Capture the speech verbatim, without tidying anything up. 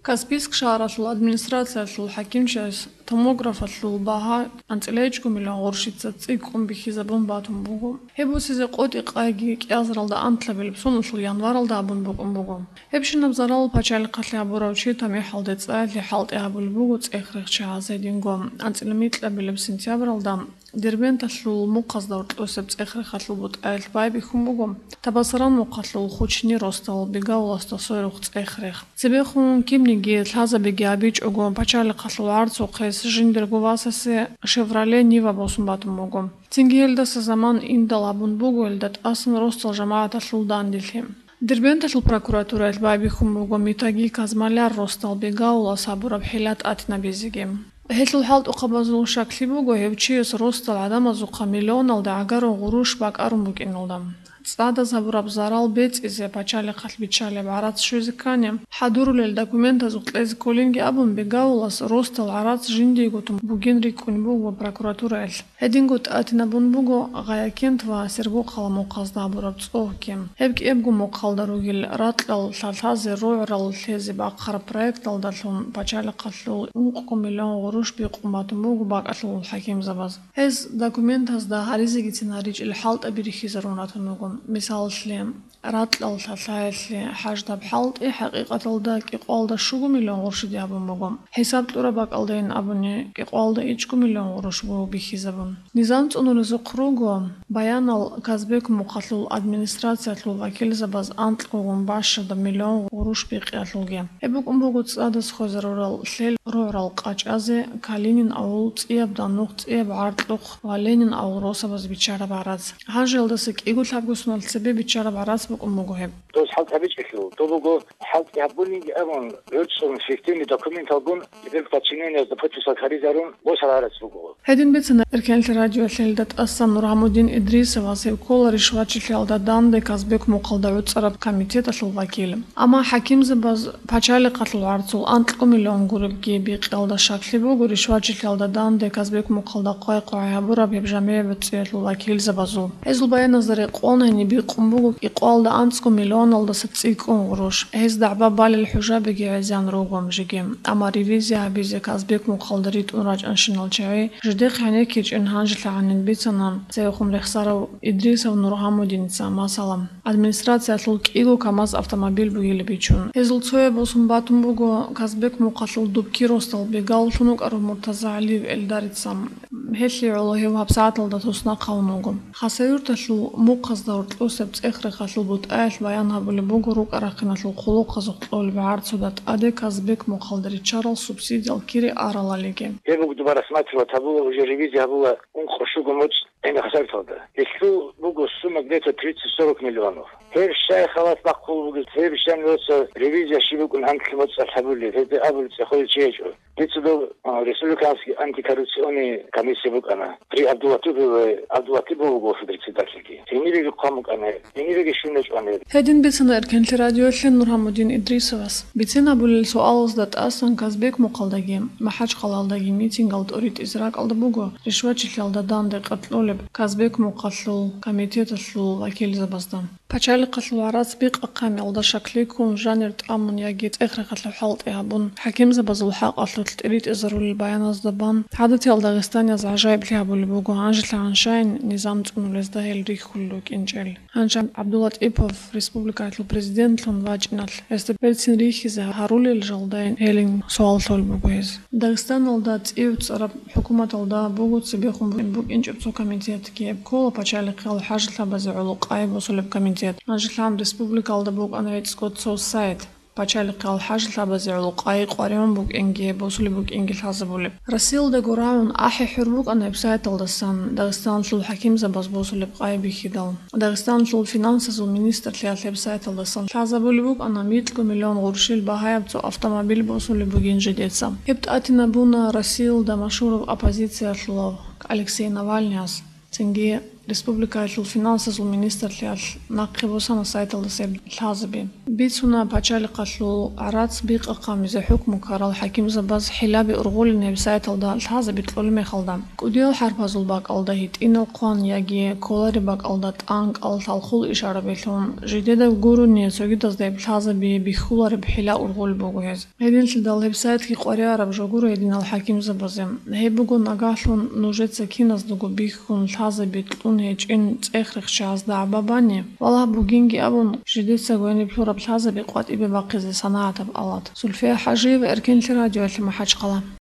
Каспийск шагьаралъул администрациялъул хӀакимчияс томографалъул багьа анцӀила ичӀго миллион гъурущица цӀикӀкӀун бихьизабун батун буго. Гьеб босизе къотӀи-къайги кӀиазаралда анлъабилеб соналъул январалда абун букӀун буго. Гьебщинаб зарал пачалихъалъе гьабурав чи тамихӀалде цӀаялъе хӀалтӀи гьабулеб буго цӀех-рехчи гьаз гьединго анцӀила микьабилеб сентябралда Дербенталъул мухъазда гьоркьосеб цӀех-рехалъул бутӀаялъ байбихьун буго Табасаран мухъалъул Хучни росдал Бегауласда сверухъ цӀех-рех. Цебехун кибниги лъазабиги абичӀого, пачалихъалъул гӀарцухъес жиндирго васасе Шевроле Нива босун батун буго. Цинги гьелдаса заман индал абун буго, гьелда тӀасан росдал жамагӀаталъул данделъи. Дербенталъул прокуратураялъ байбихьун буго Митаги Казмаляр росдал Бегаулас гьабураб хӀила тӀатинабизеги. Гьелъул хӀалтӀухъабазул щаклъи буго гьев чияс росдал гӀадамазухъа миллионалда гӀагарав гъурущ бакӀарун букӀиналда. ЦӀадаз гьабураб зарал бецӀизе пачалихъалъ биччалеб гӀарац щвезе ккани, хӀадурулел документазухъ кьезе кколинги абун, Бегаулас росдал гӀарац жиндиего тун бугин рикӀкӀунеб буго прокуратураялъ. Гьединго тӀатинабун буго Гъаякент ва Сергокъала мухъазда гьабураб цӀогьги. Гьеб кӀиябго мухъалда ругел ракьал лъалъазе рогӀрал лъезе бахъараб проекталдалъун пачалихъалъул ункъго миллион гъурущ бикъун батун буго бакӀалъулал хӀакимзабаз. Гьез документазда гьаризегицин гьаричӀел хӀалтӀаби рихьизарун ратун руго. Мисалалъе, ракьал лъалъаялъе хӀаждаб хӀалтӀи хӀакъикъаталда кӀикъоялда щуго миллион гъурущ диабун буго. ХӀисаб кьураб бакӀалдайин абуни, кӀикъоялда ичӀго миллион гъурущ буго бихьизабун. Низам цӀунулезухъ руго баянал Казбек мухъалъул администрациялъул вакилзабаз анкьгогун бащадаб миллион гъурущ бикъиялъулги. Гьеб букӀун буго цӀадаз хвезарурал лъел рогӀрал къачӀазе, Калинин авул, цӀияб Данухъ, цӀияб ГӀаркьухъ ва Ленин авул росабаз биччараб гӀарац. Гьанже гьелдаса кӀиго лъабго соналъ цебе биччараб гӀарац букӀун буго гьеб. Дос хӀалтӀи гьабичӀелъул, дов буго хӀалтӀи гьабунинги абун, гӀуцӀун фиктивный документалгун, теперь подчинениязда подписал гьаризарун, босарарас буго. Гьедин бицана Эркенлъи радиоялъе гьелда тӀасан Нургьамудин Идрисовас, гьев ккола ришвачилъиялда данде Казбек мухъалда гӀуцӀараб комитеталъул вакил. Амма хӀакимзабаз пачалихъалъул гӀарцул анкьго миллион гуребги бикъиялда щаклъи буго, ришвачилъиялда данде Казбек мухъалда хъвай-хъвай гьабураб гьеб жамигӀ бецӀиялъул вакилзабазул. Гьезул баяназда рекъон гьениб бикъун буго кӀикъоялда анцӀго миллионалдаса цӀикӀкӀун гъурущ. Гьез дагӀба балел хӀужабиги гӀезан руго жеги. Амма ревизия гьабизе Казбек мухъалда ритӀун рачӀанщинал чагӀи жидехъ гӀенеккичӀин гьанжелъагӀанин бицана цевехун рехсарав Идрисов Нургьамудиница, масала, администрациялъул кӀиго КамАЗ автомобиль бугилеб бичун. Гьезул цояб босун батун буго Казбек мухъалъул Дубки росдал Бегауллъун вукӀарав Муртазагьалиев Эльдарица. Гьелъие гӀоло гьев гьабсагӀаталда туснахъ гьавун вуго. Хасавюрталъул мухъазда гьоркьосеб цӀех-рехалъул бутӀаялъ баян гьабулеб буго рукӀа-рахъиналъул хъулухъазухъ кьолеб гӀарцуда тӀаде Казбек мухъалда риччарал субсидиял кири аралалиги. Гьеб буго дуба рассматривать гьабула, уже ревизия гьабула ункъо-щуго моцӀ гӀемер Хасавюрталда. Гьелъул буго сумма где-то тридцать сорок миллионов. Гьеб щай халат бахъулеб бугеб, гьеб щай нуца ревизия щиб букӀун анкьлъи моцӀалъ гьабулеб, гьеб абулеб цӀехолев чи гьечӀо. Дица дов, а, республиканский антикоррупционный комиссия букӀана. При Абдулатипове, Абдулатипов вуго председательги. Гьенибеги хъван букӀана, гьенибеги щун гьечӀо гьаниб. Гьедин бицана Эркенлъи радиоялъе Нургьамудин Идрисовас. Бицин абулел суалазда тӀасан Казбек мухъалдаги, МахӀачхъалаялдаги митингал тӀоритӀизе ракӀалда буго ришвачилъиялда данде къеркьолеб Казбек мухъалъул комитеталъул вакилзабазда. Пачалихъалъул гӀарац бикъахъанилда щаклъи ккун, жанир тӀамун яги цӀех-рехалъул хӀалтӀи гьабун, хӀакимзабазул хӀакъалъулъ тӀиритӀизарулел баяназда бан, гӀадатиял дагъистанияз гӀажаиблъи гьабулеб буго гьанжелъагӀан щайин низам цӀунулезда гьел рихьулел рукӀинчӀел. Гьанже ГӀабдулатӀипов республикаялъул президентлъун вачӀиналъ, гьесда берцин рихьизе гьарулел жалдайин гьелин суал лъолеб буго гьез. Дагъистаналда цӀив цӀараб хӀукуматалда буго цебехун букӀинчӀеб цо комитетги, гьеб ккола пачалихъиял хӀажалъабазе гӀоло къай босулеб комитет. ГьанжелъагӀан республикалда букӀана гӀицӀго цо сайт, пачалихъиял хӀажалъабазе гӀоло къай къваригӀун букӀинги босулеб букӀинги лъазабулеб. Россиялдаго рагӀун ахӀи-хӀур букӀана гьеб сайталдасан Дагъистаналъул хӀакимзабаз босулеб къай бихьидал. Дагъистаналъул финансазул министрлъиялъ гьеб сайталдасан лъазабулеб букӀана микьго миллион гъурущил багьаяб цо автомобиль босулеб бугин жидеца. Гьеб тӀатинабуна Россиялда машгьурав оппозициялъулав Алексей Навальныяс, цинги Республикаялъул финансазул министрлъиялъ нахъе босана сайталдаса гьеб лъазаби. Бицуна пачалихъалъул гӀарац бикъахъамизе хӀукму ккарал хӀакимзабаз хӀилаби ургъулин гьеб сайталда лъазаби кьолеб мехалда, кӀудиял хӀарпазул бакӀалда гьитӀинал хъван яги кколареб бакӀалда тӀанкӀал лъалхъул ишарабилъун, жидеда гурони цогидазда гьеб лъазаби бихьулареб хӀила ургъулеб буго гьез. Гьединлъидал гьеб сайтги къваригӀараб жо гуро гьединал хӀакимзабазе. Гьеб буго нагагьлъун нужеца киназдаго бихьун лъазаби кьун гьечӀин цӀех-рехчазда гӀаба бани, валагь, бугинги абун, жидецаго гьениб лъураб лъазаби къватӀибе бахъизе санагӀатаб алат. Зульфия ХӀажиева, Эркенлъи радиоялъе МахӀачхъала.